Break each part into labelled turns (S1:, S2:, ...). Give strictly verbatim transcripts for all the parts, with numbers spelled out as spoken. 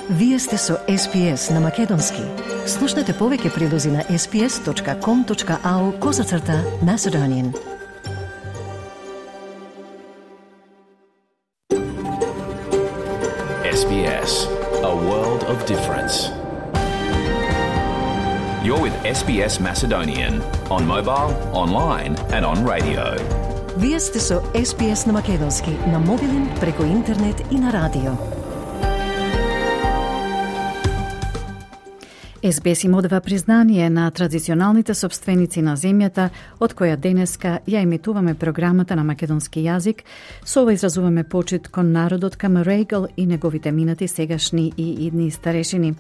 S1: Вие сте со Ес Би Ес на Македонски. Слушнете повеќе прилози на ес би ес точка ком точка ау козацрта Macedonian.
S2: Ес Би Ес, a world of difference. You're with Ес Би Ес Macedonian on mobile, online and on radio.
S1: Вие сте со Ес Би Ес на Македонски, на мобилен, преку интернет и на радио. Ес Би Ес им одава признание на традиционалните собственици на земјата, од која денеска ја емитуваме програмата на македонски јазик. Со ова изразуваме почит кон народот, кам Регал и неговите минати, сегашни и идни старешини.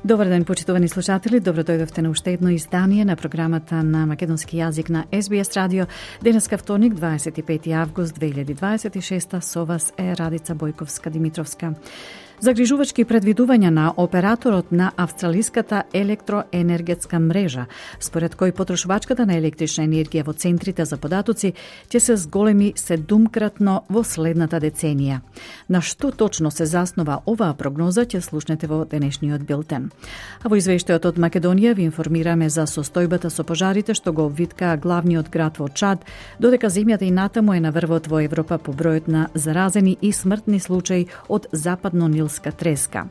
S1: Добар ден, почитувани слушатели, добро дојдовте на уште едно издание на програмата на македонски јазик на Ес Би Ес радио. Денеска вторник, дваесет и пети август две илјади дваесет и шеста, со вас е Радица Бојковска-Димитровска. Загрижувачки предвидувања на операторот на австралиската електроенергетска мрежа, според кој потрошувачката на електрична енергија во центрите за податоци ќе се зголеми седумкратно во следната деценија. На што точно се заснова оваа прогноза ќе слушнете во денешниот билтен. А во извештајот од Македонија ви информираме за состојбата со пожарите што го обвиткаа главниот град во Чад, додека земјата и натаму е на врвот во Европа по бројот на заразени и смртни случаи од западно треска.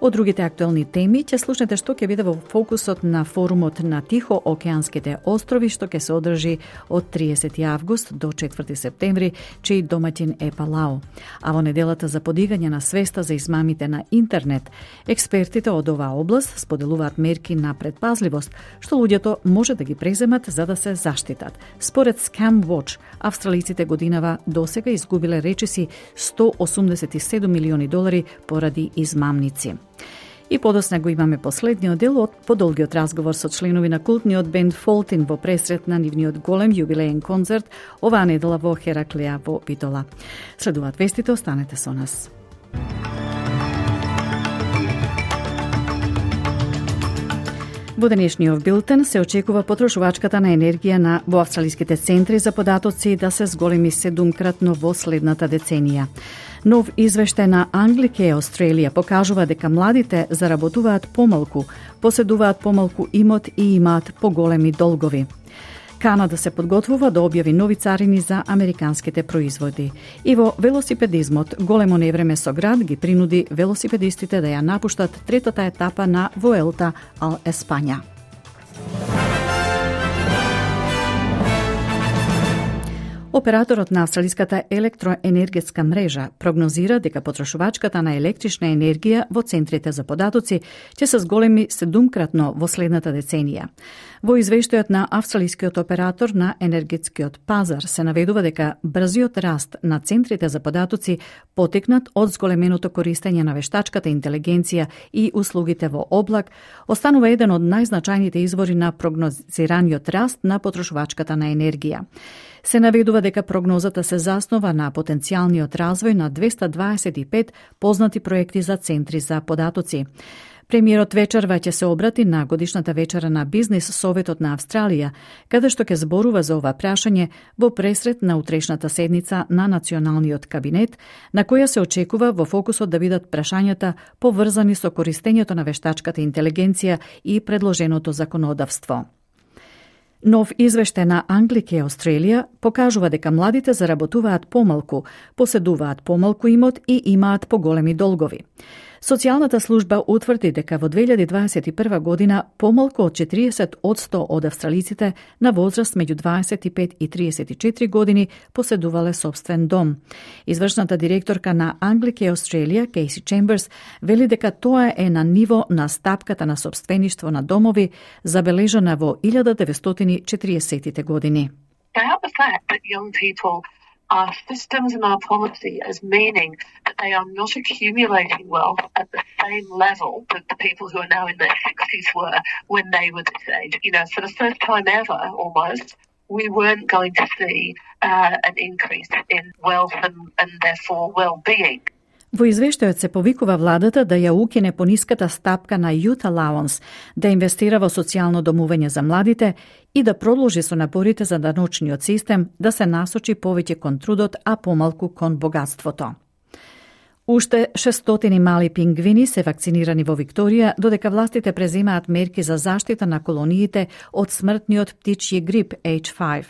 S1: Од другите актуелни теми ќе слушнете што ќе биде во фокусот на форумот на Тихоокеанските острови што ќе се одржи од триесети август до четврти септември, чиј домаќин е Палау. А во неделата за подигање на свеста за измамите на интернет, експертите од оваа област споделуваат мерки на предпазливост што луѓето може да ги преземат за да се заштитат. Според Scam Watch, австралиците годинава досега изгубиле речиси сто осумдесет и седум милиони долари поради измамници. И подосна го имаме последниот дел од подолгиот разговор со членови на култниот бенд Фолтин во пресрет на нивниот голем јубилеен концерт оваа недела во Хераклеа во Битола. Следуваат вестите, останете со нас. Во денешниот билтен се очекува потрошувачката на енергија на во австралиските центри за податоци да се зголеми седумкратно во следната деценија. Нов извештај на Anglicare Australia покажува дека младите заработуваат помалку, поседуваат помалку имот и имаат поголеми долгови. Канада се подготвува да објави нови царини за американските производи. И во велосипедизмот, големо невреме со град ги принуди велосипедистите да ја напуштат третата етапа на Vuelta al España. Операторот на австралиската електроенергетска мрежа прогнозира дека потрошувачката на електрична енергија во центрите за податоци ќе се зголеми седумкратно во следната деценија. Во извештајот на австралискиот оператор на енергетскиот пазар се наведува дека брзиот раст на центрите за податоци потекнат од зголеменото користење на вештачката интелигенција и услугите во облак, останува еден од најзначајните извори на прогнозираниот раст на потрошувачката на енергија. Се наведува дека прогнозата се заснова на потенцијалниот развој на двеста дваесет и пет познати проекти за центри за податоци. Премиерот вечерва ќе се обрати на годишната вечера на Бизнис Советот на Австралија, каде што ќе зборува за ова прашање во пресрет на утрешната седница на Националниот кабинет, на која се очекува во фокусот да бидат прашањата поврзани со користењето на вештачката интелигенција и предложеното законодавство. Нов извештај на Anglicare Australia покажува дека младите заработуваат помалку, поседуваат помалку имот и имаат поголеми долгови. Социјалната служба утврди дека во две илјади дваесет и прва година помалку од четириесет одсто од австралиците на возраст меѓу дваесет и пет и триесет и четири години поседувале собствен дом. Извршната директорка на Anglicare Australia, Кейси Чемберс, вели дека тоа е на ниво на стапката на собствеништво на домови забележана во илјада деветстотини и четириесеттите години.
S3: Our systems and our policy as meaning that they are not accumulating wealth at the same level that the people who are now in their sixties were when they were this age. You know, for the first time ever, almost, we weren't going to see uh, an increase in wealth and, and therefore well-being.
S1: Во извештајот се повикува владата да ја укине пониската стапка на Youth Allowance, да инвестира во социјално домување за младите и да продолжи со напорите за даночниот систем да се насочи повеќе кон трудот, а помалку кон богатството. Уште шестстотини мали пингвини се вакцинирани во Викторија, додека властите преземаат мерки за заштита на колониите од смртниот птичји грип H five.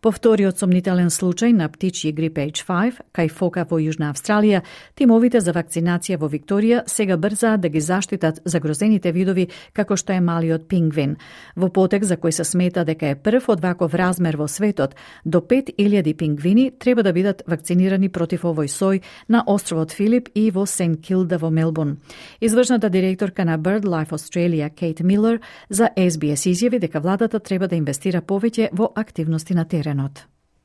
S1: По вториот сомнителен случај на птичји грип H five, кај фока во Јужна Австралија, тимовите за вакцинација во Викторија сега брзаат да ги заштитат загрозените видови како што е малиот пингвин. Во потек за кој се смета дека е прв од ваков размер во светот, до пет илјади пингвини треба да бидат вакцинирани против овој сој на островот Филип и во Сент Килда во Мелбурн. Извршната директорка на BirdLife Australia, Кейт Милер, за Ес Би Ес изјави дека владата треба да инвестира повеќе во активности на терен.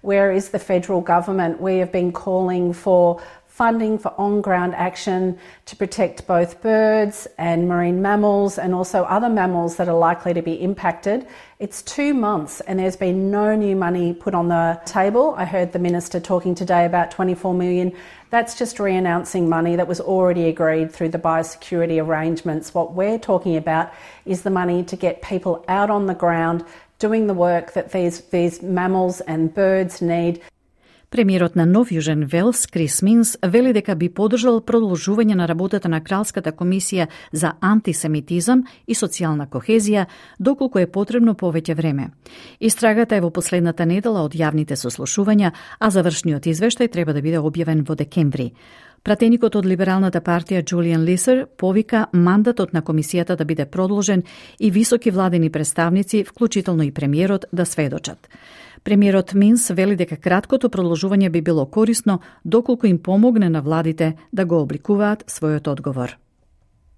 S4: Where is the federal government? We have been calling for funding for on-ground action to protect both birds and marine mammals and also other mammals that are likely to be impacted. It's two months and there's been no new money put on the table. I heard the Minister talking today about twenty-four million. That's just re-announcing money that was already agreed through the biosecurity arrangements. What we're talking about is the money to get people out on the ground doing the work that these, these mammals and birds need.
S1: Премиерот на Нов Јужен Велс, Крис Минс, вели дека би поддржал продолжување на работата на Кралската комисија за антисемитизам и социјална кохезија, доколку е потребно повеќе време. Истрагата е во последната недела од јавните сослушувања, а завршниот извештај треба да биде објавен во декември. Пратеникот од Либералната партија Джулијан Лисер повика мандатот на комисијата да биде продолжен и високи владени представници, вклучително и премиерот, да сведочат. Премиерот Минс вели дека краткото продолжување би било корисно доколку им помогне на владите да го обликуваат својот одговор.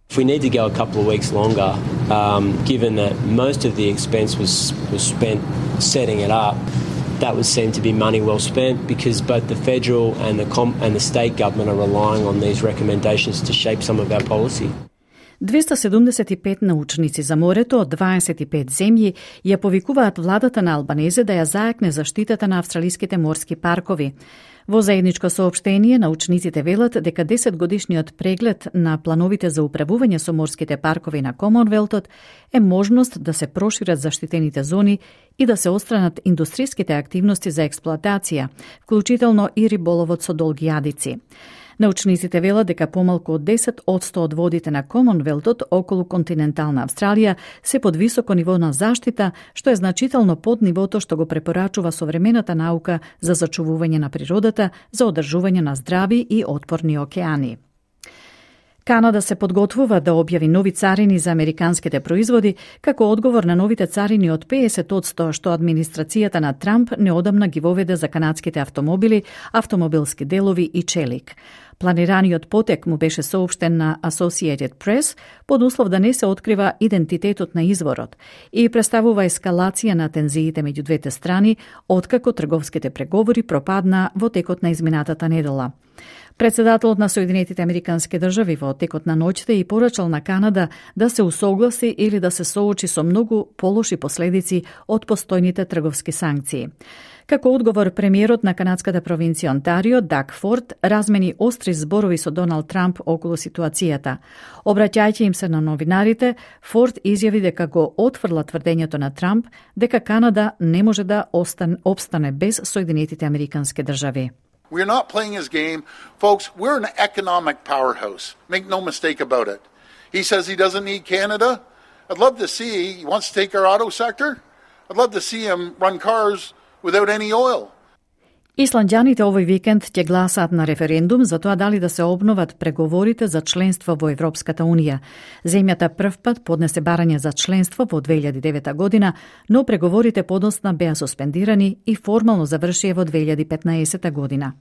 S5: If we need to go a couple of weeks longer, um, given that most of the expense was, was spent setting it up, that would seem to be money well spent because both the federal and the com- and the state government are relying on these recommendations to shape some of our policy.
S1: двеста седумдесет и пет научници за морето од дваесет и пет земји ја повикуваат владата на Албанезе да ја зајакне заштитата на австралиските морски паркови. Во заедничко соопштение, научниците велат дека десетгодишниот преглед на плановите за управување со морските паркови на Комонвелтот е можност да се прошират заштитените зони и да се отстранат индустриските активности за експлоатација, вклучително и риболовот со долги јадици. Научниците велат дека помалку од десет одсто од водите на Комонвелтот околу континентална Австралија се под високо ниво на заштита, што е значително под нивото што го препорачува современата наука за зачувување на природата, за одржување на здрави и отпорни океани. Канада се подготвува да објави нови царини за американските производи, како одговор на новите царини од педесет одсто што администрацијата на Трамп неодамна ги воведе за канадските автомобили, автомобилски делови и челик. Планираниот потек му беше соопштен на Associated Press под услов да не се открива идентитетот на изворот и представува ескалација на тензиите меѓу двете страни, откако трговските преговори пропадна во текот на изминатата недела. Председателот на Соединетите Американски држави во текот на ноќта и порачал на Канада да се усогласи или да се соочи со многу полоши последици од постојните трговски санкции. Како одговор, премиерот на канадската провинција Онтарио, Даг Форд, размени остри зборови со Доналд Трамп околу ситуацијата. Обраќајќи им се на новинарите, Форд изјави дека го отфрла тврдењето на Трамп дека Канада не може да остан, обстане без Соединетите Американски држави.
S6: We're not playing his game. Folks, we're an economic powerhouse. Make no mistake about it. He says he doesn't need Canada. I'd love to see, he wants to take our auto sector. I'd love to see him run cars without any oil.
S1: Исланѓаните овој викенд ќе гласаат на референдум за тоа дали да се обноват преговорите за членство во Европската Унија. Земјата првпат поднесе барање за членство во две илјади и девета година, но преговорите подоцна беа суспендирани и формално завршија во две илјади и петнаесета година.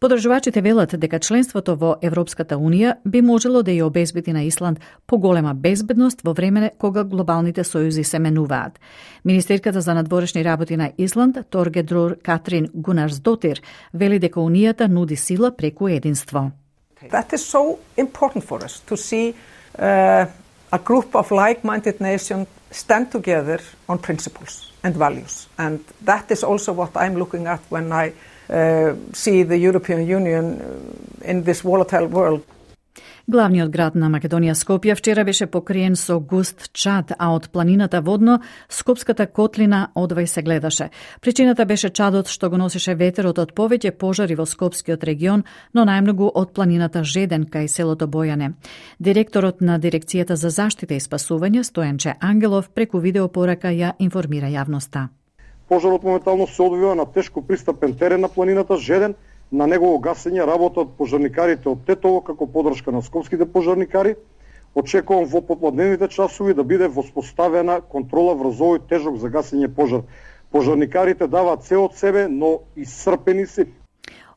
S1: Подржувачите велат дека членството во Европската Унија би можело да ја обезбеди на Исланд поголема безбедност во време кога глобалните сојузи се менуваат. Министерката за надворешни работи на Исланд, Торгедрур Катрин Гунарсдотир, вели дека Унијата нуди сила преку единство.
S7: That is so important for us to see uh, a group of like-minded nations stand together on principles and values. And that is also what I'm looking at when I Uh, see the European Union in this volatile world.
S1: Главниот град на Македонија Скопје вчера беше покриен со густ чад, а од планината водно Скопската котлина одвај се гледаше. Причината беше чадот што го носеше ветерот од повеќе пожари во Скопскиот регион, но најмногу од планината Жеден кај селото Бојане. Директорот на Дирекцијата за заштита и спасување Стојанче Ангелов преку видеопорака ја информира јавноста.
S8: Пожарот моментално се одвива на тешко пристапен терен на планината Жеден. На негово гасење работат пожарникарите од Тетово како подршка на скопските пожарникари. Очекувам во попладневните часови да биде воспоставена контрола врз овој тежок за гасење пожар. Пожарникарите даваат се од себе, но исцрпени се.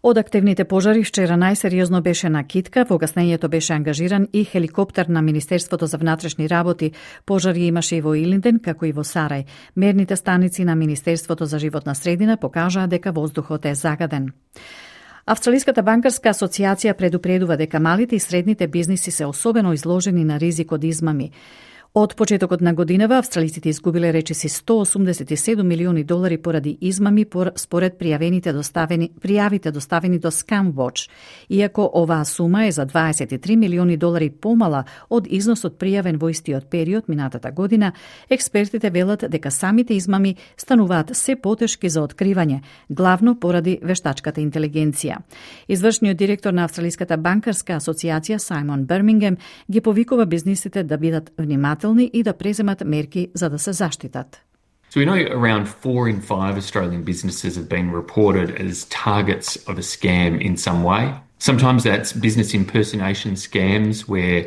S1: Од активните пожари вчера најсериозно беше на Китка, во гаснењето беше ангажиран и хеликоптер на Министерството за внатрешни работи. Пожари имаше и во Илинден, како и во Сарај. Мерните станици на Министерството за животна средина покажаа дека воздухот е загаден. Австралиската банкарска асоциација предупредува дека малите и средните бизниси се особено изложени на ризик од измами. Од почетокот на годинава австралиците изгубиле речиси сто осумдесет и седум милиони долари поради измами според пријавените доставени пријавите доставени до Scamwatch. Иако оваа сума е за дваесет и три милиони долари помала од износот пријавен во истиот период минатата година, експертите велат дека самите измами стануваат се потешки за откривање, главно поради вештачката интелигенција. Извршниот директор на Австралиската банкарска асоциација Саймон Бермингем ги повикува бизнисите да бидат внимателни и да преземат мерки за да се заштитат.
S9: So we know around four in five Australian businesses have been reported as targets of a scam in some way. Sometimes that's business impersonation scams where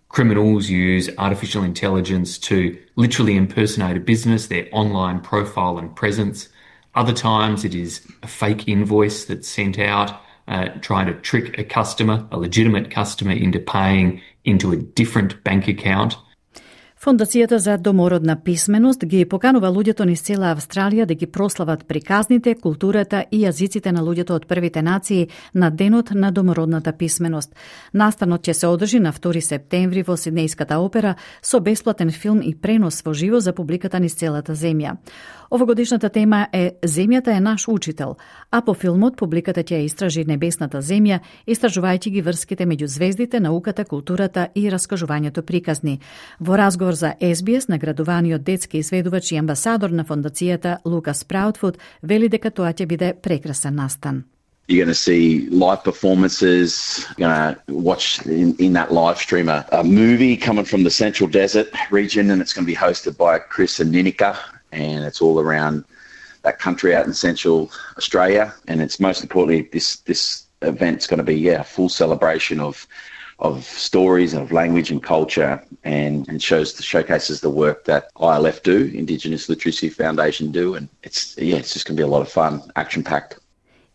S9: criminals use artificial intelligence to literally impersonate a business, their online profile and presence. Other times it is a fake invoice that's sent out uh, trying to trick a customer, a legitimate customer, into paying into a different bank account.
S1: Фондацијата за домородна писменост ги поканува луѓето низ цела Австралија да ги прослават приказните, културата и јазиците на луѓето од првите нации на Денот на домородната писменост. Настанот ќе се одржи на втори септември во Сиднејската опера со бесплатен филм и пренос во живо за публиката низ целата земја. Овогодишната тема е Земјата е наш учител, а по филмот публиката ќе истражи небесната земја, истражувајќи ги врските меѓу звездите, науката, културата и раскажувањето приказни. Во разговор за Ес Би Ес, наградуваниот детски изведувач и амбасадор на фондацијата Лукас Праутфуд вели дека тоа ќе биде прекрасен настан.
S10: You're going to see live performances. You're going to watch in, in that live stream a, a movie coming from the Central Desert region, and it's going to be hosted by Chris and Ninika, and it's all around that country out in Central Australia. And it's most importantly, this this event's going to be yeah, a full celebration of of stories and of language and culture, and, and shows showcases the work that I L F do, Indigenous Literacy Foundation do, and it's yeah, it's just going to be a lot of fun, action-packed.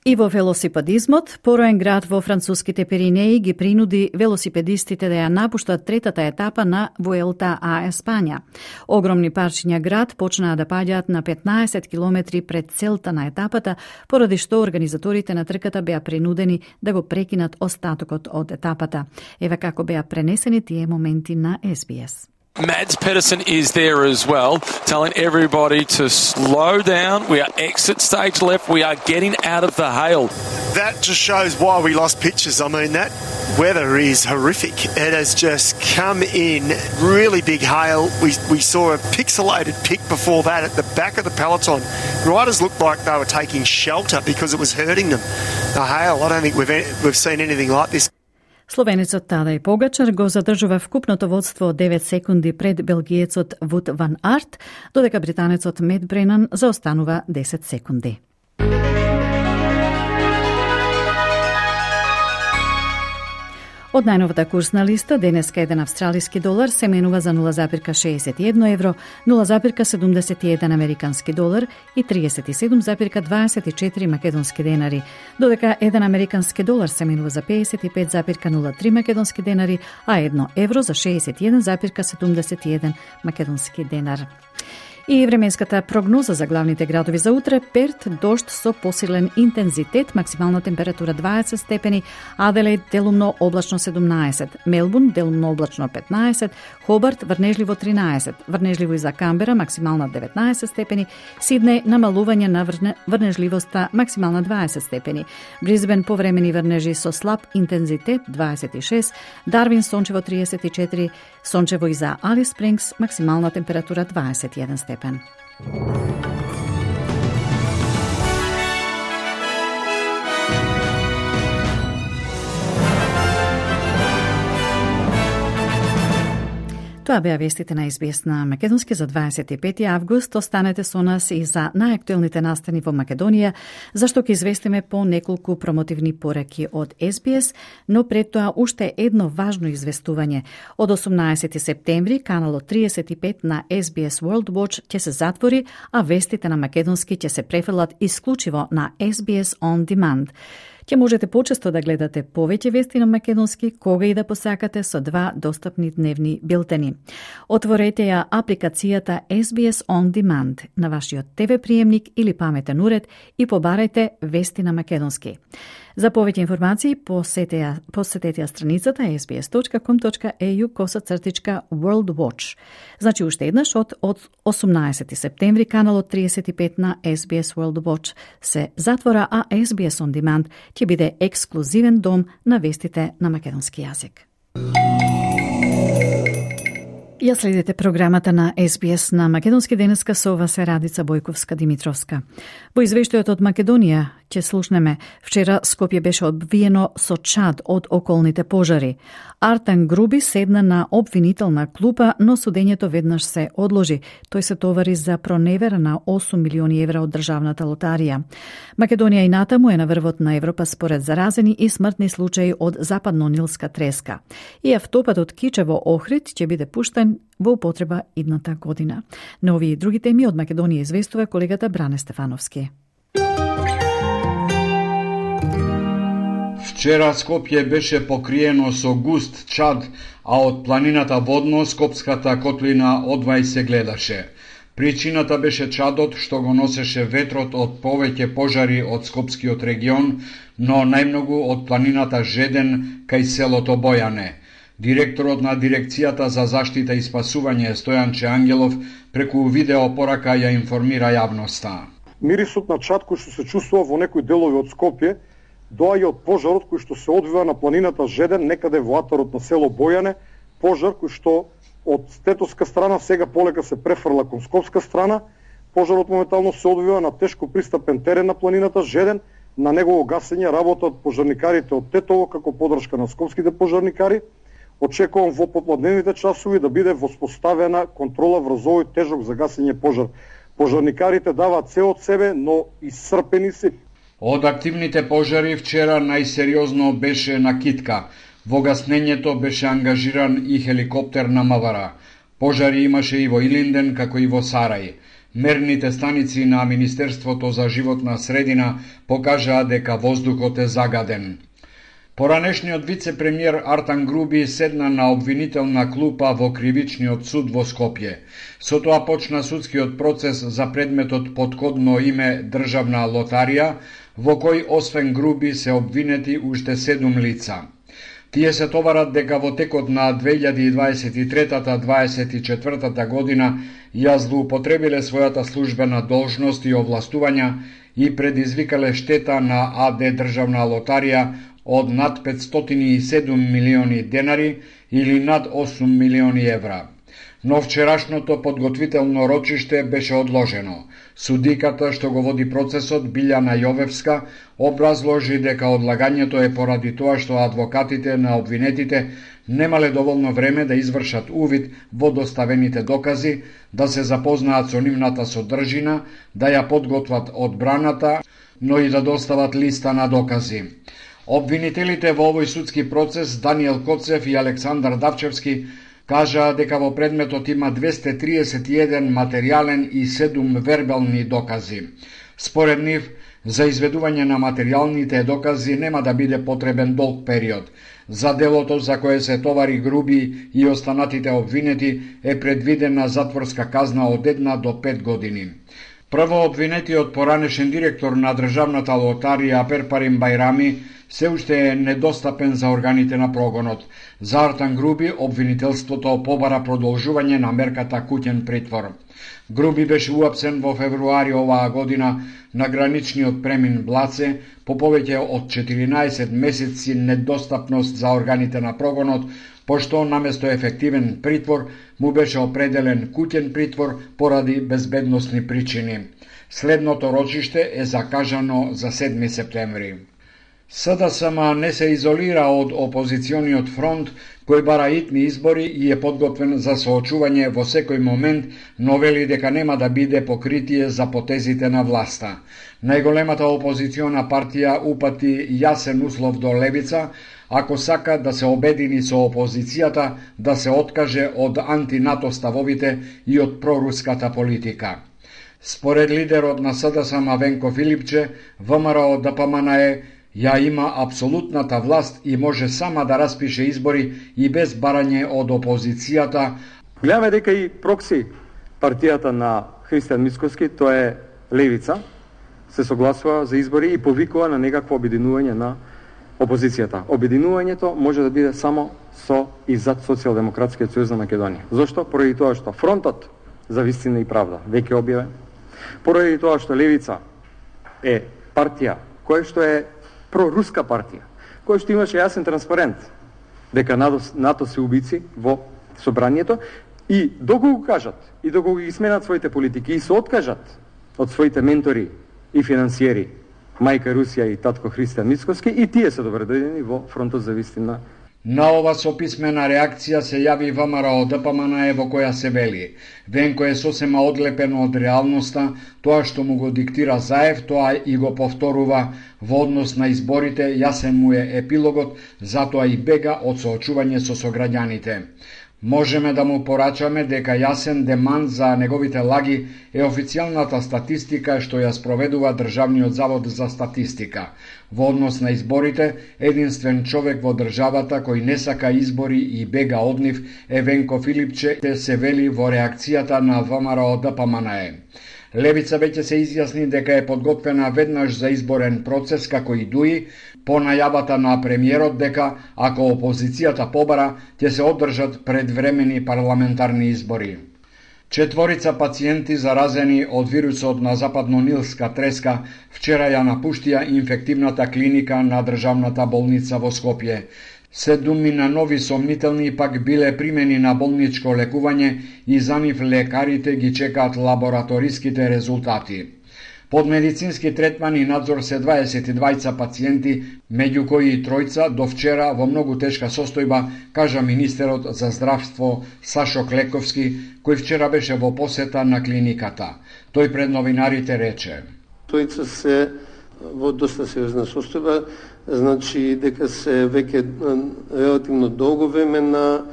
S1: И во велосипедизмот, пороен град во француските Пиринеи ги принуди велосипедистите да ја напуштат третата етапа на Вуелта а Еспања. Огромни парчиња град почнаа да паѓаат на петнаесет километри пред целта на етапата, поради што организаторите на трката беа принудени да го прекинат остатокот од етапата. Еве како беа пренесени тие моменти на Ес Би Ес.
S11: Mads Pedersen is there as well, telling everybody to slow down. We are exit stage left. We are getting out of the hail.
S12: That just shows why we lost pictures. I mean, that weather is horrific. It has just come in really big hail. We we saw a pixelated pic before that at the back of the peloton. Riders looked like they were taking shelter because it was hurting them. The hail, I don't think we've we've seen anything like this.
S1: Словенецот Тадај Погачар го задржува вкупното водство од девет секунди пред белгиецот Вуд ван Арт, додека британецот Мет Бренан заостанува десет секунди. Од најновата курсна листа, денеска еден австралиски долар се менува за нула зарез шеесет и едно евро, нула зарез седумдесет и еден американски долар и триесет и седум зарез дваесет и четири македонски денари, додека еден американски долар се менува за пеесет и пет зарез нула три македонски денари, а едно евро за шеесет и еден зарез седумдесет и еден македонски денар. И временската прогноза за главните градови за утре: Перт дожд со посилен интензитет, максимална температура дваесет степени, Аделаид делумно облачно седумнаесет, Мелбурн делумно облачно петнаесет, Хобарт врнежливо тринаесет, врнежливо и за Камбера максимална деветнаесет степени, Сиднеј намалување на врне, врнежливоста максимална дваесет степени, Бризбен повремени врнежи со слаб интензитет дваесет и шест, Дарвин сончево триесет и четири, сончево и за Алис Спрингс максимална температура дваесет и еден степен. Тоа беа вестите на Ес Би Ес на Македонски за дваесет и пети август. Останете со нас и за најактуелните настани во Македонија, зашто ќе известиме по неколку промотивни пораки од Ес Би Ес, но пред тоа уште едно важно известување. Од осумнаесети септември каналот триесет и пет на Ес Би Ес World Watch ќе се затвори, а вестите на Македонски ќе се префрлат исклучиво на Ес Би Ес On Demand. Ќе можете почесто да гледате повеќе вести на македонски, кога и да посакате, со два достапни дневни билтени. Отворете ја апликацијата Ес Би Ес On Demand на вашиот Те Ви приемник или паметен уред и побарајте вести на македонски. За повеќе информации посетете, посетете ја страницата ес би ес точка ком точка е ю косацртичка World Watch. Значи уште еднаш од, од осумнаесети септември каналот триесет и пет на Ес Би Ес World Watch се затвора, а Ес Би Ес On Demand ќе биде ексклузивен дом на вестите на македонски јазик. Ја следите програмата на Ес Би Ес на Македонски денеска, со вас е Радица Бојковска-Димитровска. Во извештајот од Македонија ќе слушнеме: вчера Скопје беше обвиено со чад од околните пожари. Артан Груби седна на обвинителна клупа, но судењето веднаш се одложи. Тој се товари за проневера на осум милиони евра од државната лотарија. Македонија и натаму е на врвот на Европа според заразени и смртни случаи од западно-нилска треска. И автопатот Кичево-Охрид ќе биде пуштен во употреба идната година. На овие и други теми од Македонија известува колегата Бране Стефановски.
S13: Вчера Скопје беше покриено со густ чад, а од планината водно Скопската котлина одвај се гледаше. Причината беше чадот што го носеше ветрот од повеќе пожари од Скопскиот регион, но најмногу од планината Жеден кај селото Бојане. Директорот на Дирекцијата за заштита и спасување Стојанче Ангелов преку видеопорака ја информира јавноста.
S8: Мирисот на чад кој што се чувствува во некои делови од Скопје доаѓа од пожарот кој што се одвива на планината Жеден, некаде во атарот на село Бојане, пожар кој што од стетоска страна сега полека се префрла кон скопска страна. Пожарот моментално се одвива на тешко пристапен терен на планината Жеден. На негово гасење работат пожарникарите од Тетово како поддршка на скопските пожарникари. Очекувам во попладневните часови да биде воспоставена контрола врз овој тежок за гасење пожар. Пожарникарите даваат се од себе, но исцрпени се.
S13: Од активните пожари вчера најсериозно беше на Китка. Во гаснењето беше ангажиран и хеликоптер на Мавара. Пожари имаше и во Илинден, како и во Сарај. Мерните станици на Министерството за животна средина покажаа дека воздухот е загаден. Поранешниот вице-премиер Артан Груби седна на обвинителна клупа во кривичниот суд во Скопје. Со тоа почна судскиот процес за предметот под кодно име Државна лотарија, во кој освен Груби се обвинети уште седум лица. Тие се товарат дека во текот на две илјади и дваесет и трета - дваесет и четвртата година ја злоупотребиле својата службена должност и овластувања и предизвикале штета на АД Државна лотарија од над петстотини и седум милиони денари или над осум милиони евра. Но вчерашното подготвително рочиште беше одложено. Судиката што го води процесот, Билјана Јовевска, образложи дека одлагањето е поради тоа што адвокатите на обвинетите немале доволно време да извршат увид во доставените докази, да се запознаат со нивната содржина, да ја подготват одбраната, но и да достават листа на докази. Обвинителите во овој судски процес, Даниел Коцев и Александар Давчевски, кажаа дека во предметот има двесте триесет и еден материјален и седум вербални докази. Според нив, За изведување на материјалните докази нема да биде потребен долг период. За делото за кое се товари Груби и останатите обвинети е предвидена затворска казна од една до пет години. Прво обвинетиот поранешен директор на државната лотарија Перпарин Бајрами се уште е недостапен за органите на прогонот. За Артан Груби обвинителството побара продолжување на мерката куќен притвор. Груби беше уапсен во февруари оваа година на граничниот премин Блаце по повеќе од четиринаесет месеци недостапност за органите на прогонот, пошто наместо ефективен притвор му беше определен куќен притвор поради безбедносни причини. Следното рочиште е закажано за седми септември. СДСМ не се изолира од опозициониот фронт, кој бара итни избори и е подготвен за соочување во секој момент, но вели дека нема да биде покритие за потезите на власта. Најголемата опозициона партија упати јасен услов до левица, ако сака да се обедини со опозицијата, да се откаже од антинато ставовите и од проруската политика. Според лидерот на СДСМ Венко Филипче, ВМРО ДПМНЕ ја има апсолутната власт и може сама да распише избори и без барање од опозицијата.
S14: Гледаме дека и прокси партијата на Христијан Мицкоски, тоа е левица, се согласува за избори и повикува на некакво обединување на опозицијата. Обединувањето може да биде само со и зад Социјалдемократскиот сојуз на Македонија. Зошто? Поради тоа што фронтот за вистина и правда веќе објавен. Поради тоа што левица е партија која што е проруска партија, која што имаше јасен транспарент дека НАТО се убици во собранието и доколку кажат и доколку ги сменат своите политики и се откажат од своите ментори и финансиери, мајка Русија и татко Христијан Мицкоски, и тие се добредојдени во фронтот за вистина.
S13: На ова со писмена реакција се јави ВМРО ДПМНЕ во која се вели: Венко е сосема одлепен од реалноста, тоа што му го диктира Заев, тоа и го повторува во однос на изборите, јасен му е епилогот, затоа и бега од соочување со сограѓаните. Можеме да му порачаме дека јасен демант за неговите лаги е официјалната статистика што ја спроведува Државниот завод за статистика. Во однос на изборите, единствен човек во државата кој не сака избори и бега од нив е Венко Филипче, се вели во реакцијата на ВМРО ДПМНЕ. Левица веќе се изјасни дека е подготвена веднаш за изборен процес како и ДУИ, по најавата на премиерот дека, ако опозицијата побара, ќе се одржат предвремени парламентарни избори. Четворица пациенти заразени од вирусот на западно-нилска треска вчера ја напуштија инфективната клиника на државната болница во Скопје. Седумина нови сомнителни пак биле примени на болничко лекување и за нив лекарите ги чекаат лабораториските резултати. Под медицински третман и надзор се дваесет и двајца пациенти, меѓу кои и тројца до вчера во многу тешка состојба, кажа министерот за здравство Сашо Клековски, кој вчера беше во посета на клиниката. Тој пред новинарите рече:
S15: Тројца се во доста сериозна состојба, значи дека се веќе релативно долго време на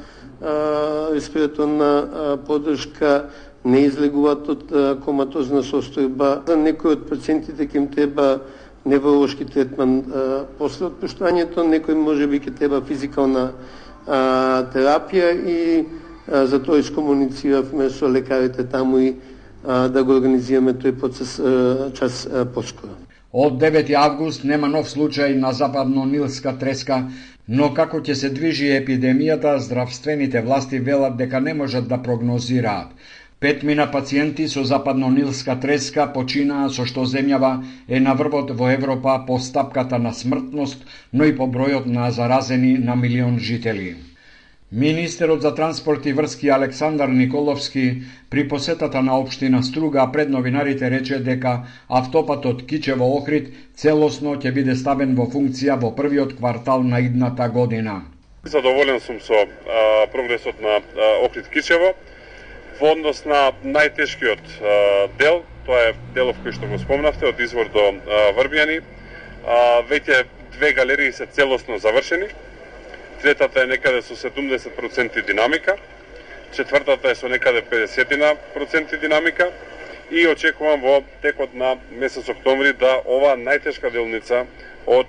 S15: респираторна поддршка, не излегуваат од коматозна состојба. За некои од пациентите ќе им треба невролошки третман а, после отпуштањето, некој може би ќе треба физикална а, терапија и а, за тоа искомунициравме со лекарите таму и а, да го организираме тој процес а, час а, поскоро.
S13: Од девети август нема нов случај на западно-нилска треска, но како ќе се движи епидемијата, здравствените власти велат дека не можат да прогнозираат. Петмина пациенти со западно-нилска треска починаа, со што земјава е на врвот во Европа по стапката на смртност, но и по бројот на заразени на милион жители. Министерот за транспорт и врски Александар Николовски при посетата на општина Струга пред новинарите рече дека автопатот Кичево-Охрид целосно ќе биде ставен во функција во првиот квартал на идната година.
S16: Задоволен сум со а, прогресот на Охрид-Кичево. Во однос на најтешкиот а, дел, тоа е делов кој што го спомнавте, од извор до а, Врбијани, а, веќе две галерии се целосно завршени. Третата е некаде со седумдесет проценти динамика, четвртата е со некаде педесет проценти динамика и очекувам во текот на месец октомври да ова најтешка делница од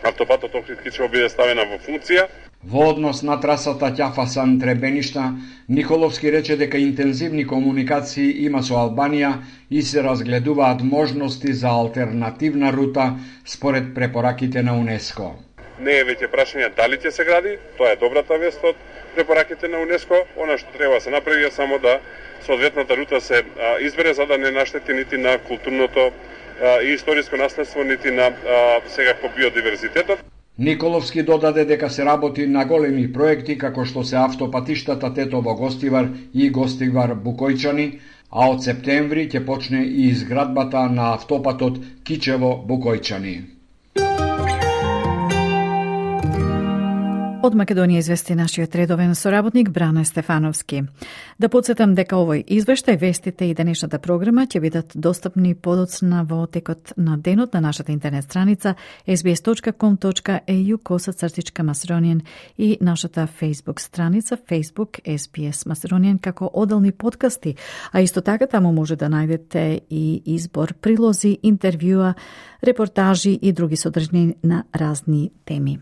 S16: автопатот Охрид-Кичево биде ставена во функција.
S13: Во однос на трасата Ќафасан-Требеништа, Николовски рече дека интензивни комуникации има со Албанија и се разгледуваат можности за алтернативна рута според препораките на УНЕСКО.
S16: Не е веќе прашање дали ќе се гради, тоа е добрата вест од препораките на УНЕСКО. Она што треба да се направи е само да соодветната рута се а, избере за да не наштети нити на културното а, и историско наследство, нити на а, секако биодиверзитетот.
S13: Николовски додаде дека се работи на големи проекти како што се автопатиштата Тетово-Гостивар и Гостивар-Букојчани, а од септември ќе почне и изградбата на автопатот Кичево-Букојчани.
S1: Од Македонија извести нашиот редовен соработник Бране Стефановски. Да подсетам дека овој извештај, вестите и денешната програма ќе бидат достапни подоцна во текот на денот на нашата интернет страница ес би ес точка ком точка ей ю косацртичка Macedonian и нашата Facebook страница Facebook ес би ес Macedonian како одделни подкасти, а исто така таму може да најдете и избор прилози, интервјуа, репортажи и други содржини на разни теми.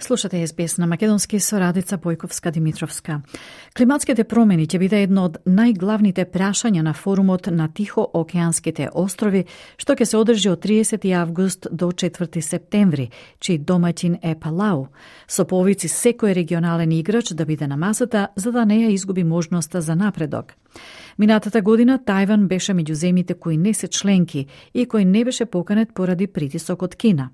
S1: Слушате ес би ес на македонски со Радица Бојковска-Димитровска. Климатските промени ќе биде едно од најглавните прашања на форумот на Тихоокеанските острови, што ќе се одржи од триесети август до четврти септември, чиј домаќин е Палау. Со повици секој регионален играч да биде на масата, за да не ја изгуби можноста за напредок. Минатата година Тајван беше меѓу земјите кои не се членки и кој не беше поканет поради притисок од Кина.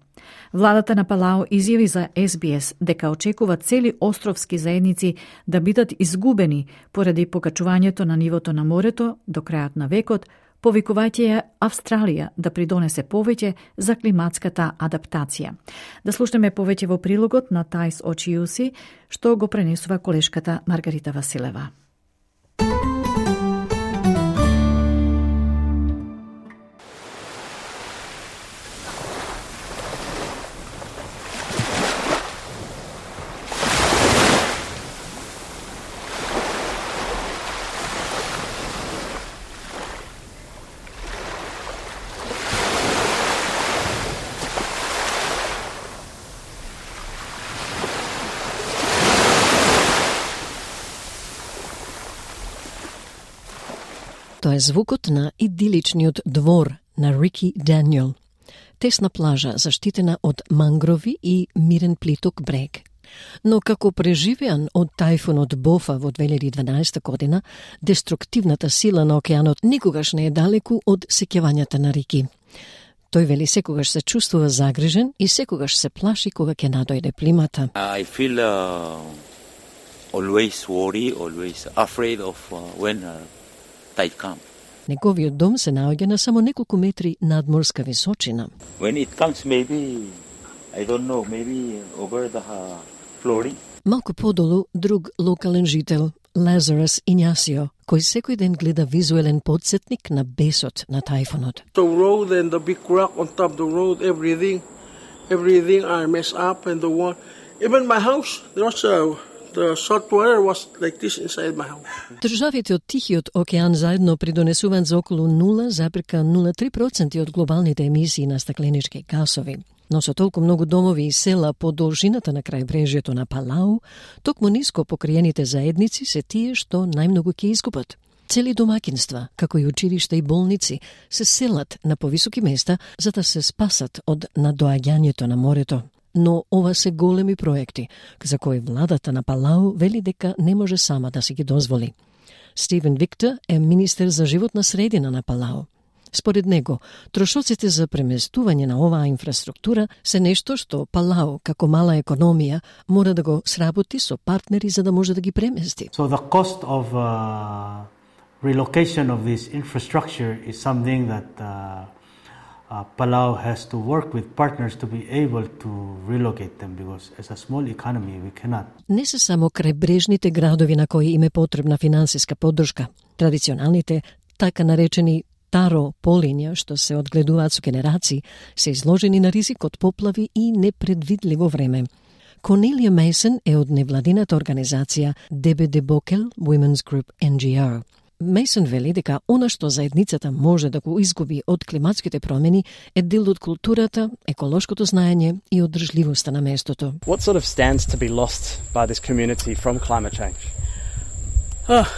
S1: Владата на Палау изјави за ес би ес дека очекува цели островски заедници да бидат изгубени поради покачувањето на нивото на морето до крајот на векот, повикувајќи ја Австралија да придонесе повеќе за климатската адаптација. Да слушнеме повеќе во прилогот на Тајс Очиуси, што го пренесува колешката Маргарита Василева.
S17: Тоа е звукот на идиличниот двор на Рики Даниел. Тесна плажа, заштитена од мангрови и мирен плиток брег. Но како преживеан од тајфунот Бофа во две илјади и дванаесета година, деструктивната сила на океанот никогаш не е далеку од сеќавањата на Рики. Тој вели секогаш се чувствува загрижен и секогаш се плаши кога ќе надојде плимата.
S18: I feel uh, always worry, always afraid of uh, when uh, tide comes.
S17: Неговиот дом се наоѓа на само неколку метри надморска височина.
S18: When it comes, maybe, I don't know, maybe over the uh, flooring.
S17: Малку подолу друг локален жител, Лазарус Ињасио, кој секој ден гледа визуелен подсетник на бесот на тајфунот.
S19: The road and the big rock on top of the road, everything, everything are messed up and the one, even my house, there was a The salt water was like this inside my house.
S17: Државите од Тихиот океан заедно придонесуваат за околу нула зарез нула три проценти од глобалните емисии на стакленички гасови. Но со толку многу домови и села по должината на крајбрежјето на Палау, токму ниско покриените заедници се тие што најмногу ќе изгубат. Цели домакинства, како и училишта и болници, се селат на повисоки места за да се спасат од надоаѓањето на морето. Но ова се големи проекти, за кои владата на Палау вели дека не може сама да се ги дозволи. Стивен Виктор е министер за животна средина на Палау. Според него, трошоците за преместување на оваа инфраструктура се нешто што Палау, како мала економија, мора да го сработи со партнери за да може да ги премести.
S20: So the cost of uh, relocation of this infrastructure is something that uh, Uh, Palau has to work with partners to be able to relocate them because as a small economy we cannot.
S17: Не се само крајбрежните градови на кои им е потребна финансиска поддршка. Традиционалните, така наречени таро полиња, што се одгледуваат со генерации, се изложени на ризик од поплави и непредвидливо време. Cornelia Mason е од невладината организација Debede Bokel Women's Group Н Г О. Мейсон вели дека она што заедницата може да го изгуби од климатските промени е дел од културата, еколошкото знаење и одржливоста на местото.
S21: What sort of stands to be lost by this community from climate change?
S22: Oh,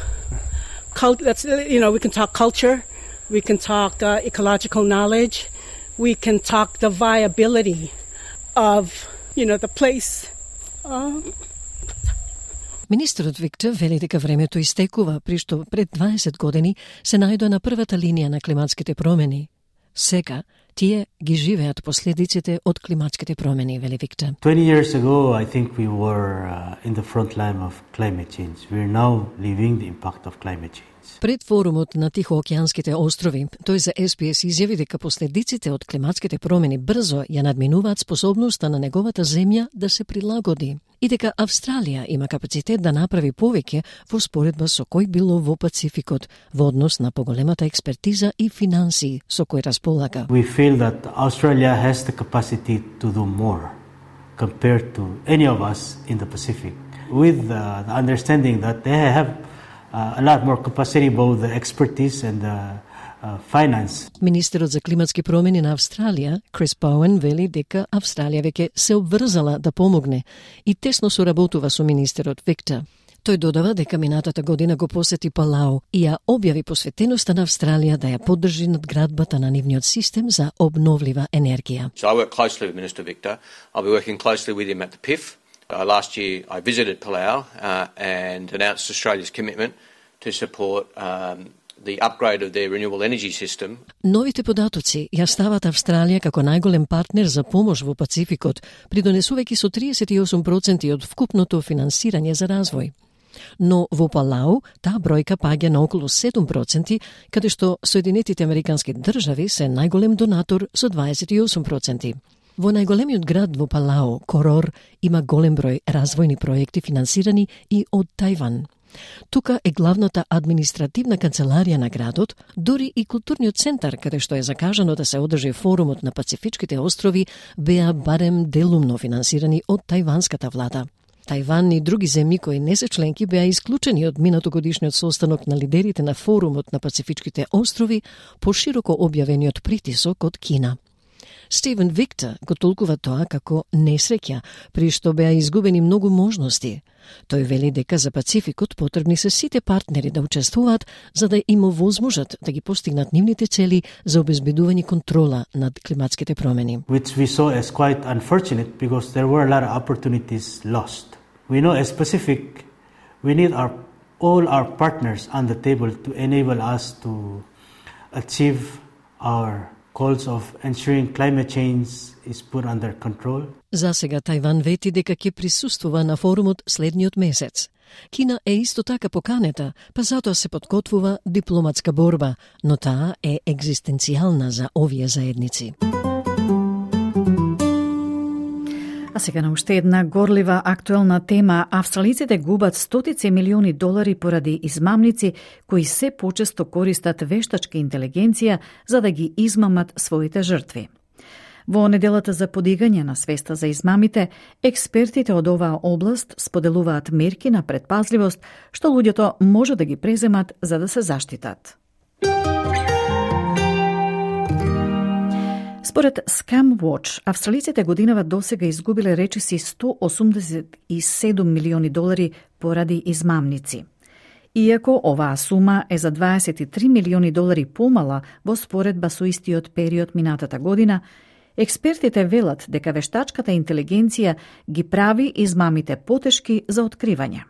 S22: cult, that's, you know, we can talk culture, we can talk uh, ecological knowledge, we can talk the viability of, you know, the place. Uh,
S17: Министерот Виктор вели дека времето истекува, при што пред дваесет години се најдоа на првата линија на климатските промени. Сега тие ги живеат последиците од климатските промени, вели Виктор.
S20: twenty years ago, I think we were uh, in the front line of climate change. We are now living the impact of climate change.
S17: Пред форумот на Тихоокеанските острови, тој за Ес Би Ес изјави дека последиците од климатските промени брзо ја надминуваат способноста на неговата земја да се прилагоди и дека Австралија има капацитет да направи повеќе во споредба со кој било во Пацификот во однос на поголемата експертиза и финансии со кој располага.
S20: We feel that Australia has the capacity to do more compared to any of us in the Pacific, with uh, the understanding that they have Uh, a lot more capacity, both the expertise and the uh, finance.
S17: Министерот за климатски промени на Австралија, Крис Боуен, вели дека Австралија веќе се обврзала да помогне и тесно соработува со министерот Виктор. Тој додава дека минатата година го посети Палау и ја објави посветеноста на Австралија да ја поддржи надградбата на нивниот систем за обновлива енергија.
S23: So I work closely with Minister Victor. I'll be working closely with him at the P I F. Uh, last year I visited Palau uh, and announced Australia's commitment to support um, the upgrade of their renewable energy system.
S17: Новите податоци ја стават Австралија како најголем партнер за помош во Пацификот, придонесувајќи со тридесет и осум проценти од вкупното финансирање за развој. Но во Палау таа бројка паѓа на околу седум проценти, каде што Соединетите Американски држави се најголем донатор со дваесет и осум проценти. Во најголемиот град во Палау, Корор, има голем број развојни проекти финансирани и од Тајван. Тука е главната административна канцеларија на градот, дури и културниот центар, каде што е закажано да се одржи форумот на Пацифичките острови, беа барем делумно финансирани од тајванската влада. Тајван и други земји кои не се членки беа исклучени од минатогодишниот состанок на лидерите на форумот на Пацифичките острови по широко објавениот притисок од Кина. Стивен Виктор го толкува тоа како несреќа, при што беа изгубени многу можности. Тој вели дека за Пацификот потребни се сите партнери да учествуваат за да им овозможат да ги постигнат нивните цели за обезбедување контрола над климатските промени.
S20: Which we saw as quite unfortunate because there were a lot of opportunities lost. We know as Pacific, we need our all our partners on the table to enable us to achieve our goals of ensuring climate change is put under control.
S17: За сега Тајван вети дека ќе присуствува на форумот следниот месец. Кина е исто така поканета, па затоа се подготвува дипломатска борба, но таа е екзистенцијална за овие заедници.
S1: А сега на уште една горлива актуелна тема. Австралиците губат стотици милиони долари поради измамници кои се почесто користат вештачка интелигенција за да ги измамат своите жртви. Во неделата за подигање на свеста за измамите, експертите од оваа област споделуваат мерки на предпазливост што луѓето може да ги преземат за да се заштитат. Според ScamWatch, австралиците годинава досега изгубиле речиси сто осумдесет и седум милиони долари поради измамници. Иако оваа сума е за дваесет и три милиони долари помала во споредба со истиот период минатата година, експертите велат дека вештачката интелигенција ги прави измамите потешки за откривање.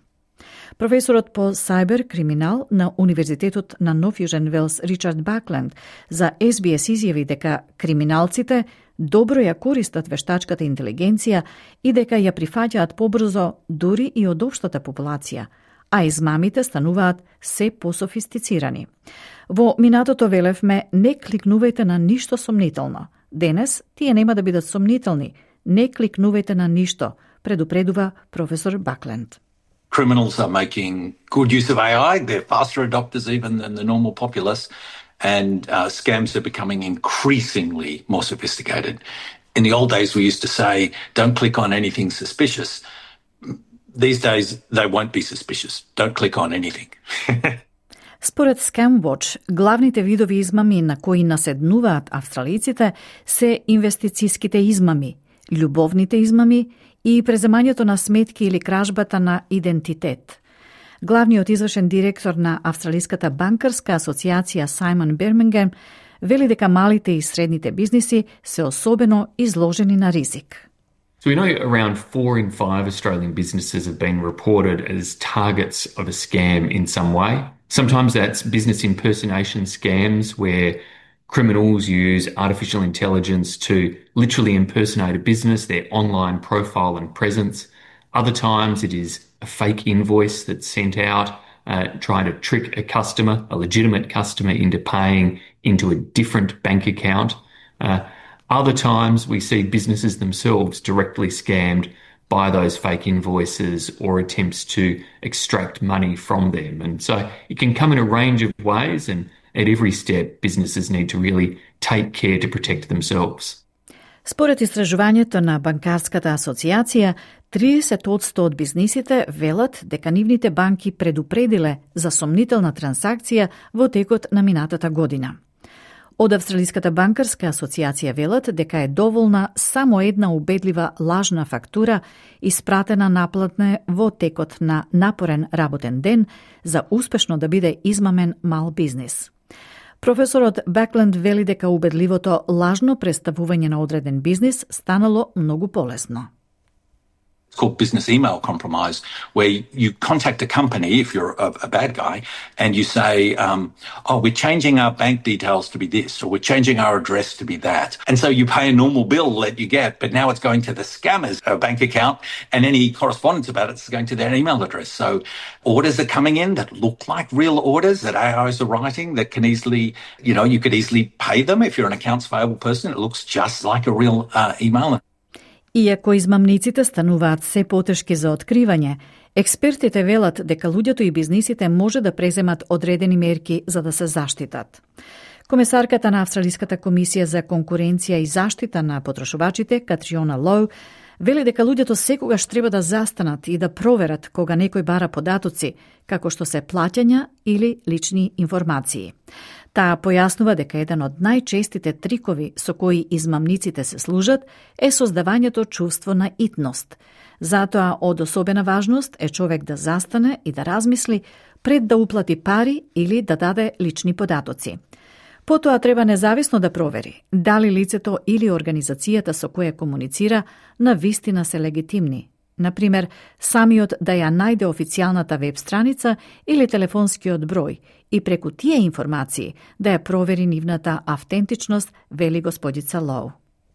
S1: Професорот по сайбер криминал на Универзитетот на Нов Јужен Велс Ричард Бакленд за Ес Би Ес изјави дека криминалците добро ја користат вештачката интелигенција и дека ја прифаќаат побрзо дури и од општата популација, а измамите стануваат се пософистицирани. Во минатото велевме не кликнувајте на ништо сомнително. Денес тие нема да бидат сомнителни. Не кликнувајте на ништо, предупредува професор Бакленд.
S24: Criminals are making good use of A I. They're faster adopters even than the normal populace, and uh, scams are becoming increasingly more sophisticated. In the old days, we used to say, don't click on anything suspicious. These days, they won't be suspicious. Don't click on anything.
S1: Според ScamWatch, главните видови измами на кои наседнуваат австралиците се инвестицијските измами, љубовните измами и преземањето на сметки или кражбата на идентитет. Главниот извршен директор на Австралиската банкарска асоциација Саймон Бирмингем вели дека малите и средните бизниси се особено изложени на ризик.
S9: So we know around four in five Australian businesses have been reported as targets of a scam in some way. Sometimes that's business impersonation scams where criminals use artificial intelligence to literally impersonate a business, their online profile and presence. Other times it is a fake invoice that's sent out, uh, trying to trick a customer, a legitimate customer, into paying into a different bank account. Uh, other times we see businesses themselves directly scammed by those fake invoices or attempts to extract money from them. And so it can come in a range of ways, and at every step businesses need to really take care to protect themselves.
S1: Според истражувањето на Банкарската асоциација, триесет одсто од бизнисите велат дека нивните банки предупредиле за сомнителна трансакција во текот на минатата година. Од Австралиската банкарска асоциација велат дека е доволна само една убедлива лажна фактура испратена наплатне во текот на напорен работен ден за успешно да биде измамен мал бизнис. Професорот Бекленд вели дека убедливото лажно представување на одреден бизнис станало многу полесно.
S24: It's called business email compromise, where you contact a company, if you're a, a bad guy, and you say, um, oh, we're changing our bank details to be this, or we're changing our address to be that. And so you pay a normal bill that you get, but now it's going to the scammer's uh, bank account, and any correspondence about it is going to their email address. So orders are coming in that look like real orders that A Is are writing that can easily, you know, you could easily pay them. If you're an accounts payable person, it looks just like a real uh, email.
S1: Иако измамниците стануваат се потешки за откривање, експертите велат дека луѓето и бизнисите може да преземат одредени мерки за да се заштитат. Комесарката на Австралиската комисија за конкуренција и заштита на потрошувачите, Катриона Лоу, вели дека луѓето секогаш треба да застанат и да проверат кога некој бара податоци, како што се плаќања или лични информации. Таа појаснува дека еден од најчестите трикови со кои измамниците се служат е создавањето чувство на итност. Затоа од особена важност е човек да застане и да размисли пред да уплати пари или да даде лични податоци. Потоа треба независно да провери дали лицето или организацијата со која комуницира на вистина се легитимни. Например, самиот да ја најде официјалната веб страница или телефонскиот број и преку тие информации да ја провери нивната автентичност, вели господица Лоу.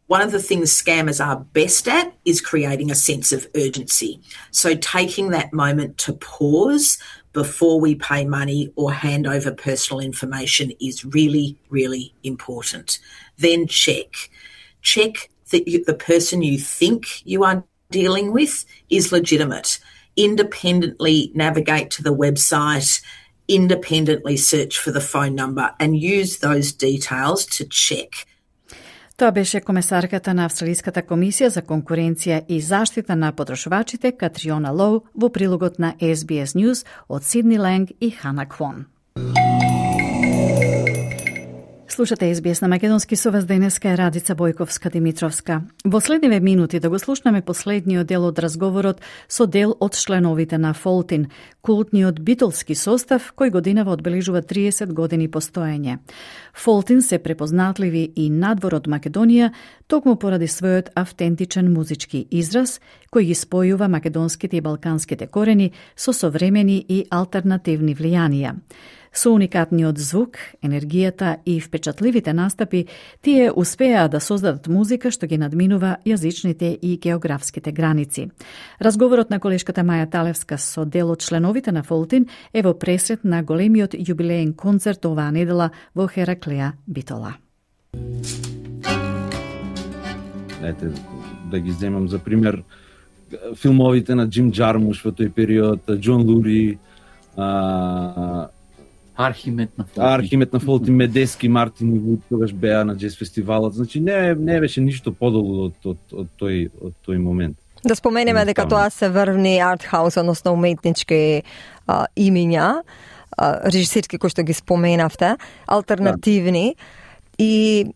S2: One of the things scammers are best at is creating a sense of urgency. So taking that moment to pause before we pay money or hand over personal information is really, really important. Then check. Check that you, the person you think you are dealing with is legitimate. Independently navigate to the website, independently search for the phone number and use those details to check.
S1: Тоа беше комесарката на Австралиската комисија за конкуренција и заштита на потрошувачите Катриона Лоу во прилогот на Ес Би Ес News од Сидни Ленг и Хана Квон. Слушате Ес Би Ес на македонски, со вас денеска е Радица Бојковска-Димитровска. Во следниве минути да го слушнеме последниот дел од разговорот со дел од членовите на Фолтин, култниот битолски состав кој годинава одбележува триесет години постоење. Фолтин се препознатливи и надвор од Македонија, токму поради својот автентичен музички израз, кој ги спојува македонските и балканските корени со современи и алтернативни влијанија. Со уникатниот звук, енергијата и впечатливите настапи, тие успеа да создадат музика што ги надминува јазичните и географските граници. Разговорот на колешката Маја Талевска со дел од членовите на Фолтин е во пресрет на големиот јубилеен концерт оваа недела во Хераклеја, Битола.
S3: Ете, да ги земам за пример филмовите на Джим Джармуш во тој период, Џон Лури, а,
S4: Архимед на Фолтин.
S3: Архимед на Фолтин, Медески, Мартин и Вуд тогаш беа на джез фестивалот. Значи не не беше ништо подолу од од од тој од тој момент.
S5: Да споменеме дека тоа се врвни артхаус, односно уметнички а, имиња, а, режисерски кои што ги споменавте, алтернативни да. И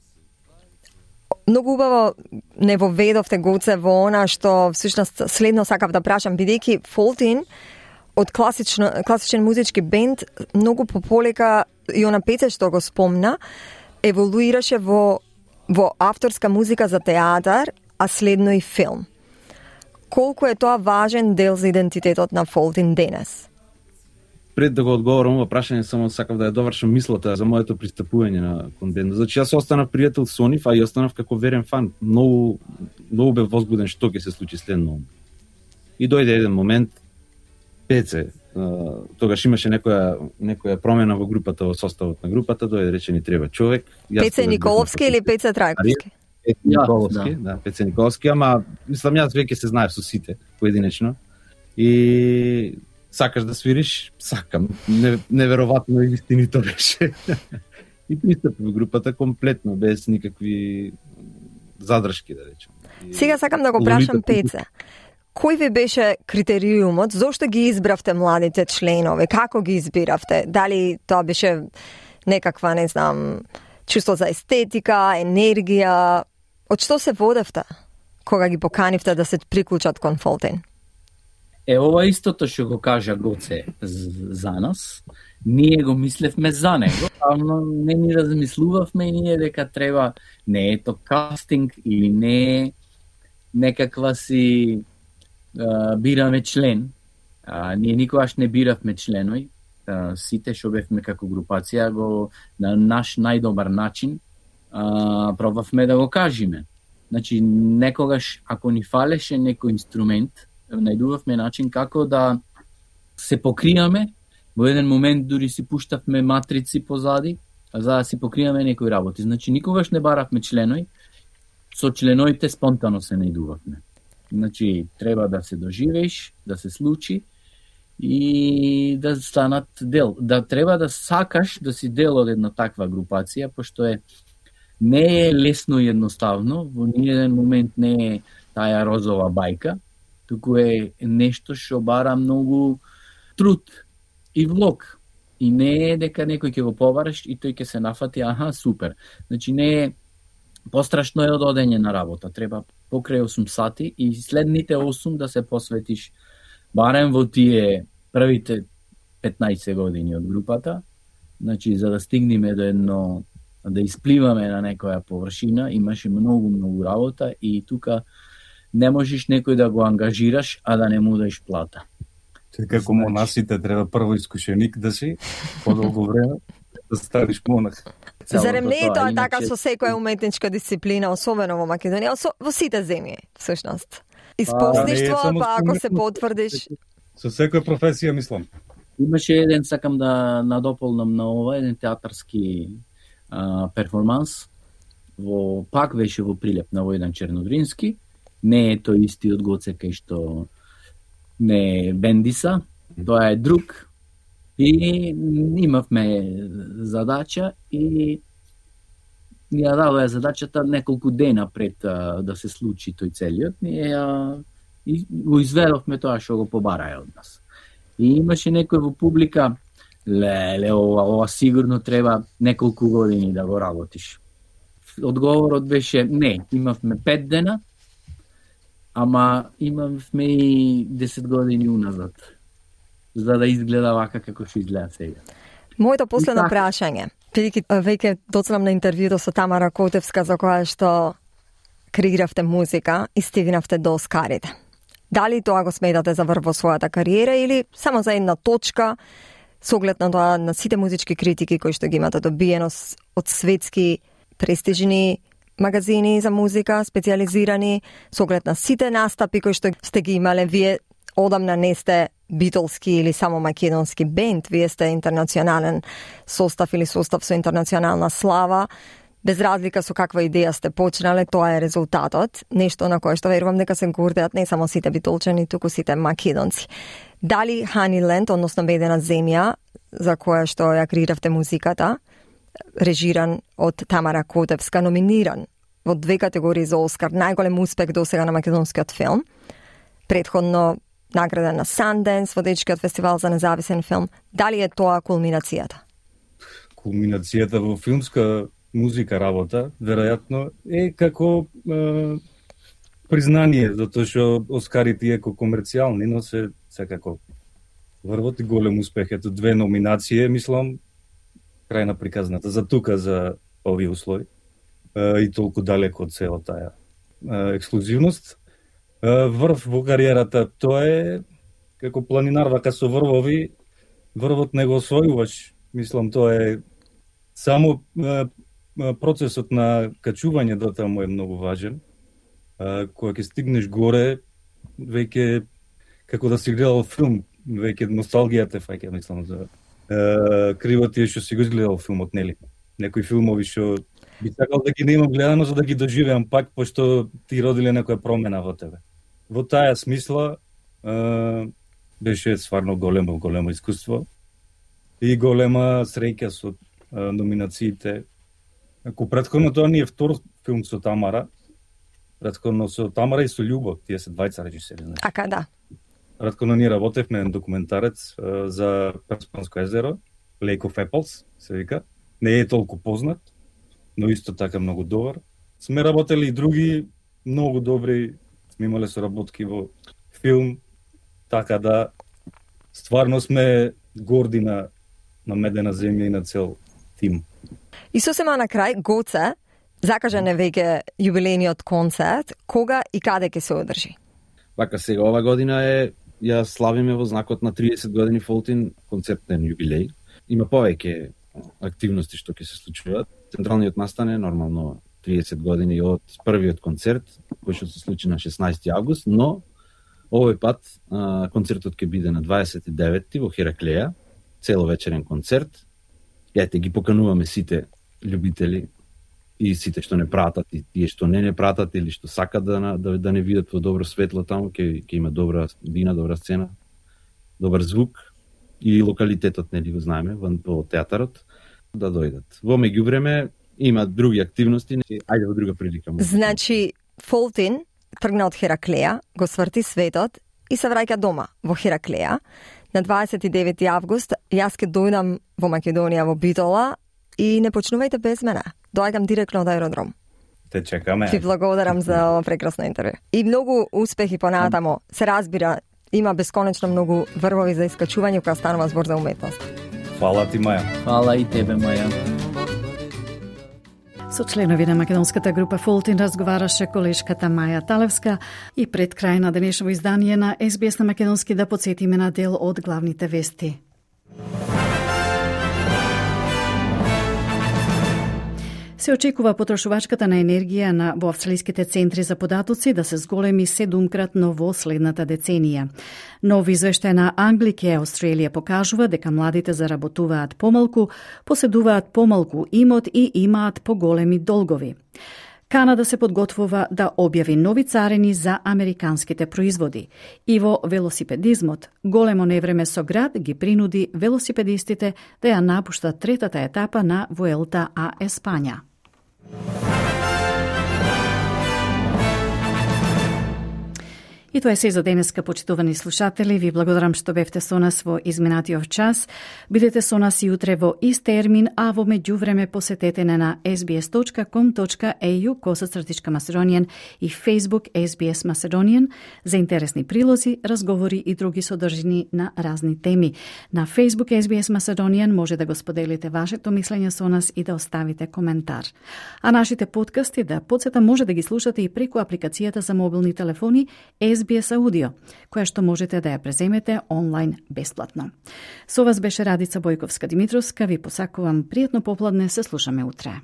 S5: многу убаво не воведовте Гоце во она што всушност следно сакав да прашам, бидејќи Фолтин од класично, класичен музички бенд многу пополека и она пеце што го спомна еволуираше во во авторска музика за театар, а следно и филм. Колку е тоа важен дел за идентитетот на Фолтин денес?
S3: Пред да го одговорам ова прашање, само сакав да ја довршам мислата за моето пристапување на кон бендот. Значи јас останав пријател со нив, а и останав како верен фан. Многу многу бев возбуден што ќе се случи следно. И дојде еден момент, Пеце, тогаш имаше некоја некоја промена во групата, во составот на групата, дојде рече ни треба човек.
S5: Пеце Николовски или Пеце Трајковски?
S3: Пеце Николовски, да. да, Пеце Николовски, ама мислам јас веќе се знаев со сите поединечно. И сакаш да свириш, сакам. Не, неверојатно и вистинито беше. И пристапи во групата комплетно, без никакви задршки, да речем. И...
S5: Сега сакам да го прашам Пеце. Кој ви беше критериумот? Зошто ги избравте младите членови? Како ги избиравте? Дали тоа беше некаква, не знам, чувство за естетика, енергија? Од што се водевте кога ги поканивте да се приклучат кон Фолтин?
S4: Е, ова истото што го кажа Гоце за нас, ние го мислевме за него, но не ни размислувавме ние дека треба, не е то кастинг или не е некаква си а, бираме член. А, ние никогаш не биравме членови, а, сите што бевме како групација го на наш најдобар начин а, пробавме да го кажеме. Значи, некогаш, ако ни фалеше некој инструмент, најдувавме начин како да се покријаме. Во еден момент дури си пуштавме матрици позади, за да си покријаме некои работи. Значи, никогаш не баравме членови, со членовите спонтано се најдувавме. Значи, треба да се доживееш, да се случи и да станат дел. Да треба да сакаш да си дел од една таква групација, пошто е не е лесно и едноставно, во ниеден момент не е таа розова бајка, туку е нешто што бара многу труд и влог. И не е дека некој ќе го побараш и тој ќе се нафати, аха, супер. Значи не е пострашно е од одење на работа. Треба покрај осум сати и следните осум да се посветиш барем во тие првите петнаесет години од групата. Значи за да стигнеме до едно, да испливаме на некоја површина, имаше многу многу работа и тука не можеш некој да го ангажираш, а да не му даеш плата.
S6: Те како монасите треба прво искушеник да си, подолго време да станеш монах.
S5: Зарем не е тоа така со секоја уметничка дисциплина, особено во Македонија, во сите земји, всушност. Испослништво, па, па ако се потврдиш.
S6: Со секоја професија, мислам.
S4: Имаше еден, сакам да надополнам на ова, еден театарски а, перформанс, во, пак беше во Прилеп на Војдан Чернодрински, не е тој истиот Гоце кај што не Бендиса, тоа е друг. И имавме задача и ја дадоа задачата неколку дена пред а, да се случи тој целиот. Ние а, и го изведовме тоа што го побараа од нас. И имаше некој во публика, леле, ова, ова сигурно треба неколку години да го работиш. Одговорот беше не, имавме пет дена, ама имавме и десет години уназад, за да изгледа вака како што изгледа сега.
S5: Моето последно прашање, бидејќи веќе доцнам на интервјуто со Тамара Котевска за која што креиравте музика и стигнавте до Оскарите. Дали тоа го сметате за врв во својата кариера или само за една точка, со оглед на тоа на сите музички критики кои што ги имате добиено од светски престижни магазини за музика, специализирани, со оглед на сите настапи кои што сте ги имале, вие одамна не сте битолски или само македонски бенд, вие сте интернационален состав или состав со интернационална слава, без разлика со каква идеја сте почнале, тоа е резултатот, нешто на кое што верувам дека се гордеат не само сите битолчани, туку сите македонци. Дали Honeyland, односно Медена земја, за која што ја креиравте музиката, режиран од Тамара Котевска, номиниран во две категории за Оскар, најголем успех досега на македонскиот филм. Предходно награда на Санденс, водечкиот фестивал за независен филм. Дали е тоа кулминацијата?
S6: Кулминацијата во филмска музика работа, веројатно, е како е, признание, затоа што Оскарите иако комерцијални, но се секако врвот и голем успех. Ето две номинации, мислам, крај на приказната. За тука, за овие услови. Е, и толку далеко од цела таа е, ексклузивност. Е, врв во кариерата, тоа е како планинар, вака со врвови, врвот не го освојуваш. Мислам, тоа е само е, процесот на качување до таму е многу важен. А, кога ќе стигнеш горе, веќе како да си гледал филм, веќе носталгијата фаќа, мислам, за е, криво ти е што си го изгледал филмот, нели? Некои филмови што би сакал да ги немам гледано за да ги доживеам пак, пошто ти родиле некоја промена во тебе. Во таа смисла е, беше стварно големо, големо искуство и голема среќа со е, номинациите. Ако претходно тоа не е втор филм со Тамара, претходно со Тамара и со Љубо, тие се двајца режисери. Значи.
S5: Ака да.
S6: Претходно ние работевме на документарец uh, за Перспанско езеро, Lake of Apples, се вика. Не е толку познат, но исто така многу добар. Сме работели и други многу добри, сме имале соработки во филм, така да стварно сме горди на, на Медена земја и на цел тим.
S5: И сосема на крај, Гоце, закажан е веќе јубилејниот концерт, кога и каде ќе се одржи?
S3: Вака сега, ова година е, ја славиме во знакот на триесет години Фолтин концертен јубилеј. Има повеќе активности што ќе се случуваат. Централниот настан е нормално триесет години од првиот концерт, кој што се случи на шеснаесети август, но овој пат а, концертот ќе биде на дваесет и деветти во Хераклеја, целовечерен концерт. Јајте ги покануваме сите љубители и сите што не пратат и тие што не не пратат или што сакат да да, да не видат во добро светло таму, ќе ќе има добра вина, добра сцена, добар звук и локалитетот нели го знаеме во, во театарот да дојдат. Во меѓувреме има други активности, ајде во друга прилика.
S5: Значи Фолтин тргна од Хераклеја, го сврти светот и се враќа дома во Хераклеја. На дваесет и деветти август јас ќе дојдам во Македонија во Битола и не почнувајте без мене. Доаѓам директно од аеродром.
S6: Те чекаме.
S5: Ви благодарам за ова прекрасно интервју. И многу успехи понатамо. Се разбира, има бесконечно многу врвови за искачување кога станува збор за уметност.
S6: Фала ти, Маја.
S4: Фала и тебе, Маја.
S1: Со членови на македонската група Фолтин разговараше колешката Маја Талевска и пред крај на денешно издание на Ес Би Ес на македонски да подсетиме на дел од главните вести. Се очекува потрошувачката на енергија на во австралиските центри за податоци да се зголеми седумкратно во следната деценија. Нов извештај на Anglicare Australia покажува дека младите заработуваат помалку, поседуваат помалку имот и имаат поголеми долгови. Канада се подготвува да објави нови царини за американските производи. И во велосипедизмот, големо невреме со град ги принуди велосипедистите да ја напуштат третата етапа на Вуелта а Еспања. И тоа е се за денеска, почитувани слушатели. Ви благодарам што бевте со нас во изминатиот час. Бидете со нас и утре во ист термин, а во меѓувреме посетете не на ес би ес точка ком точка ей ю косацртичка Macedonian и Facebook Ес Би Ес Macedonian за интересни прилози, разговори и други содржини на разни теми. На Facebook Ес Би Ес Macedonian може да го споделите вашето мислење со нас и да оставите коментар. А нашите подкасти да подсета може да ги слушате и преку апликацијата за мобилни телефони Ес Би Ес Аудио, која што можете да ја преземете онлайн бесплатно. Со вас беше Радица Бојковска-Димитровска. Ви посакувам пријатно попладне, се слушаме утре.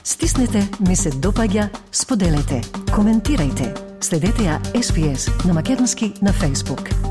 S17: Стиснете, ми се допаѓа, споделете, коментирајте. Следете ја Ес Би Ес на македонски на Facebook.